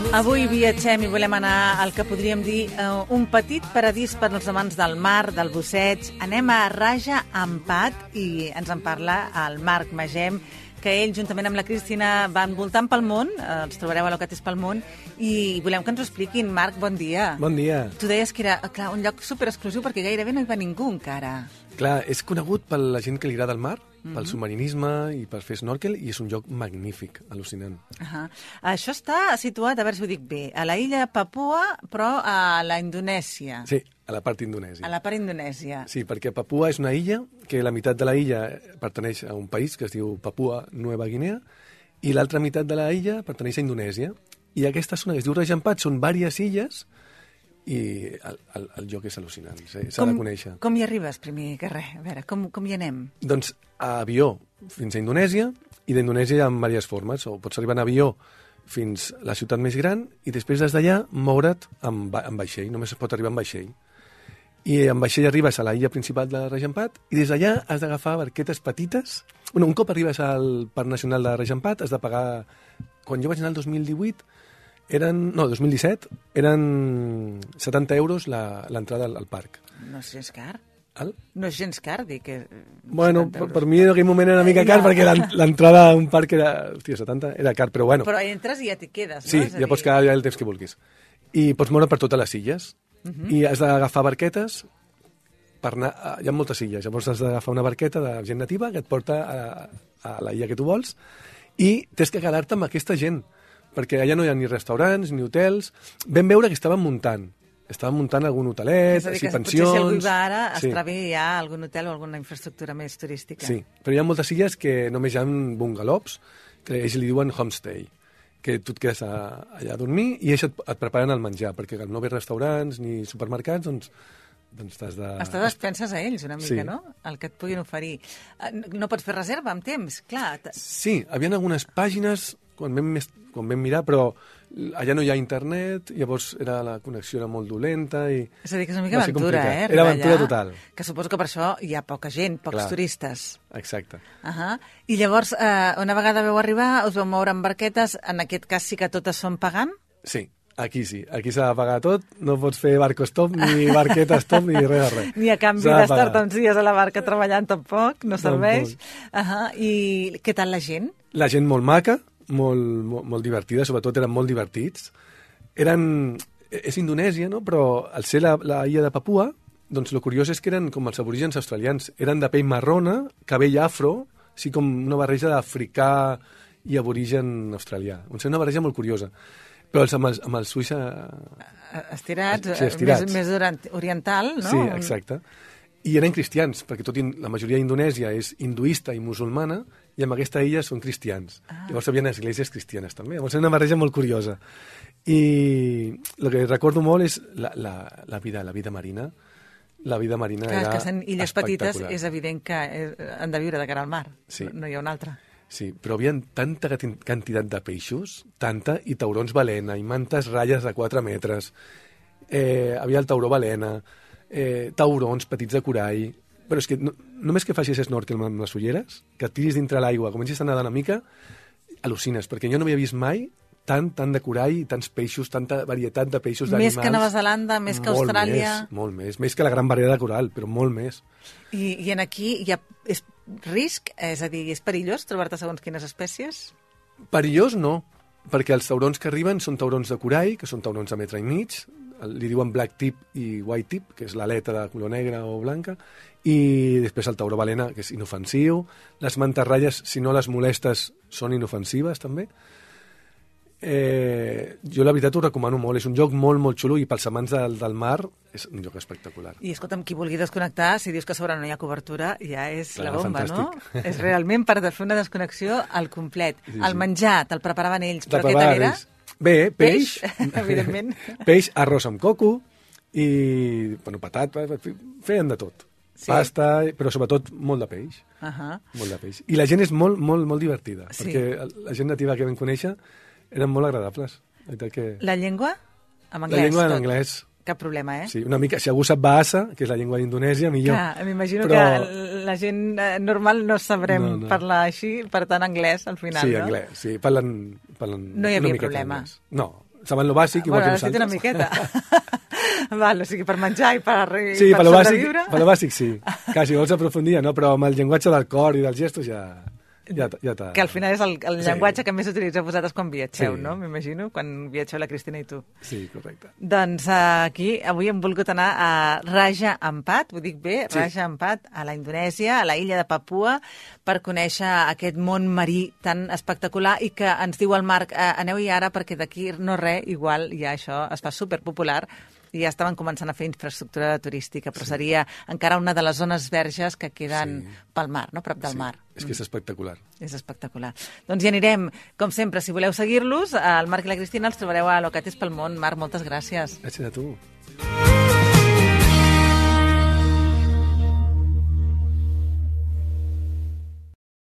Avui viatgem i volem anar al que podríem dir un petit paradís per als amants del mar, del busseig. Anem a Raja Ampat i ens en parla el Marc Magem, que ell, juntament amb la Cristina, van voltant pel món, els trobareu a Locatis pel món, i volem que ens ho expliquin. Marc, bon dia. Bon dia. Tu deies que era clar, un lloc superexclusiu perquè gairebé no hi va ningú encara. Clar, és conegut per la gent que li agrada el mar, pel submarinisme i per fer snorkel, i és un lloc magnífic, al·lucinant. Això està situat, a veure si ho dic bé, a la illa Papua, però a la Indonèsia. Sí, a la part indonèsia. A la part indonèsia. Sí, perquè Papua és una illa que la meitat de la illa pertaneix a un país que es diu Papua Nova Guinea i l'altra meitat de la illa pertaneix a Indonèsia. I aquesta zona que es diu Raja Ampat són diverses illes i el lloc és al·lucinant, s'ha de conèixer. Com hi arribes, primer que res? A veure, com hi anem? Doncs a avió fins a Indonèsia, i d'Indonèsia hi ha diverses formes. O pots arribar en avió fins a la ciutat més gran i després des d'allà moure't amb vaixell, només es pot arribar amb vaixell. I amb vaixell arribes a la illa principal de Raja Ampat i des d'allà has d'agafar barquetes petites. Un cop arribes al Parc Nacional de Raja Ampat has de pagar... Quan jo vaig anar el 2017, eren 70 euros l'entrada al parc. No és gens car? El? No és gens car, dir que... Bueno, per mi en aquell moment era una mica car perquè l'entrada a un parc era... Hòstia, 70 era car, però bueno. Però entres i ja t'hi quedes, no? Sí, ja pots quedar allà el temps que vulguis. I pots moure per totes les illes. I has d'agafar barquetes per anar... Hi ha moltes illes, llavors has d'agafar una barqueta de gent nativa que et porta a la illa que tu vols i tens que quedar-te amb aquesta gent, perquè allà no hi ha ni restaurants ni hotels. Vam veure que estaven muntant algun hotelet, pensions... Potser si algú hi va ara, estarà bé hi ha algun hotel o alguna infraestructura més turística. Sí, però hi ha moltes illes que només hi ha bungalows, que ells li diuen homestay, que tu et quedes allà a dormir i ells et preparen el menjar, perquè al no haver restaurants ni supermercats, doncs t'has de... Estàs a expenses a ells, una mica, sí. No? El que et puguin oferir. No pots fer reserva amb temps, clar. Sí, hi havia algunes pàgines quan vam mirar, però allà no hi ha internet, llavors la connexió era molt dolenta i... És a dir, que és una mica aventura, Era aventura total. Que suposo que per això hi ha poca gent, pocs turistes. Exacte. I llavors, una vegada vau arribar, us vau moure amb barquetes, en aquest cas sí que totes són pagant? Sí. Aquí sí, aquí s'ha de pagar tot, no pots fer barco stop, ni barqueta stop, ni res de res. Ni a canvi d'estar-te uns dies a la barca treballant tampoc, no serveix. I què tal la gent? La gent molt maca, molt divertida, sobretot eren molt divertits. És Indonèsia, no? Però al ser la illa de Papua, doncs el curiós és que eren com els aborígens australians. Eren de pell marrona, cabell afro, així com una barreja d'africà i aborigen australià. És una barreja molt curiosa. Però amb els ulls... Estirats. Més oriental, no? Sí, exacte. I eren cristians, perquè la majoria d'Indonèsia és hinduista i musulmana, i en aquesta illa són cristians. Llavors hi havia esglésies cristianes, també. Llavors és una barreja molt curiosa. I el que recordo molt és la vida marina. La vida marina era espectacular. Que en illes petites és evident que han de viure de cara al mar. Sí. No hi ha una altra. Sí, però hi havia tanta quantitat de peixos, i taurons balena, i mantes ratlles de 4 metres. Havia el tauró balena, taurons petits de corall. Però és que només que facis snorkel amb les ulleres, que et tiris dintre l'aigua, comencis a nedar una mica, al·lucines, perquè jo no havia vist mai tant de corall i tants peixos, tanta varietat de peixos, d'animals. Més que Nova Zelanda, més que Austràlia... Molt més que la gran barrera de coral, però molt més. I aquí és risc? És a dir, és perillós trobar-te segons quines espècies? Perillós no, perquè els taurons que arriben són taurons de corall, que són taurons de 1,5 metres, li diuen black tip i white tip, que és l'aleta de color negra o blanca, i després el tauró balena, que és inofensiu. Les mantarralles, si no les molestes, són inofensives també. Jo la veritat ho recomano molt, és un lloc molt xulo i pels amants del mar és un lloc espectacular. I escolta'm, qui vulgui desconnectar, si dius que a sobre no hi ha cobertura, ja és la bomba, fantàstic. No? És realment per fer una desconnexió al complet. Sí. El menjar, te'l preparaven ells, però què tal era? Bé, peix, evidentment. Peix, arròs amb coco i patat, feien de tot. Sí. Pasta, però sobretot molt de peix. Molt de peix. I la gent és molt divertida, perquè la gent nativa que vam conèixer eren molt agradables. La llengua? En anglès? La llengua en anglès. Cap problema, Sí, una mica, si algú sap Bahasa, que és la llengua d'Indonèsia, millor. Clar, m'imagino que la gent normal no sabrem parlar així, per tant, anglès, al final, sí, no? Anglès, sí, parlen no hi havia problema. No, saben lo bàsic, igual que nosaltres. Bueno, una miqueta. Val, o sigui, per menjar i per sí, per sobreviure. Sí, per lo bàsic sí. Clar, si vols aprofundir, no? Però amb el llenguatge del cor i dels gestos ja t'ha... Que al final és el llenguatge que més utilitzeu vosaltres quan viatgeu, Sí. no? M'imagino, quan viatgeu la Cristina i tu. Sí, correcte. Doncs aquí avui hem volgut anar a Raja Ampat, ho dic bé, Sí. Raja Ampat, a la Indonèsia, a la illa de Papua, per conèixer aquest món marí tan espectacular i que ens diu el Marc, aneu-hi ara perquè d'aquí no res, igual ja això es fa superpopular i ja estaven començant a fer infraestructura turística, però seria encara una de les zones verges que queden pel mar, no? Prop del mar. És que és espectacular. És espectacular. Doncs hi anirem, com sempre, si voleu seguir-los, el Marc i la Cristina els trobareu a Locates pel món. Marc, moltes gràcies. Gràcies a tu.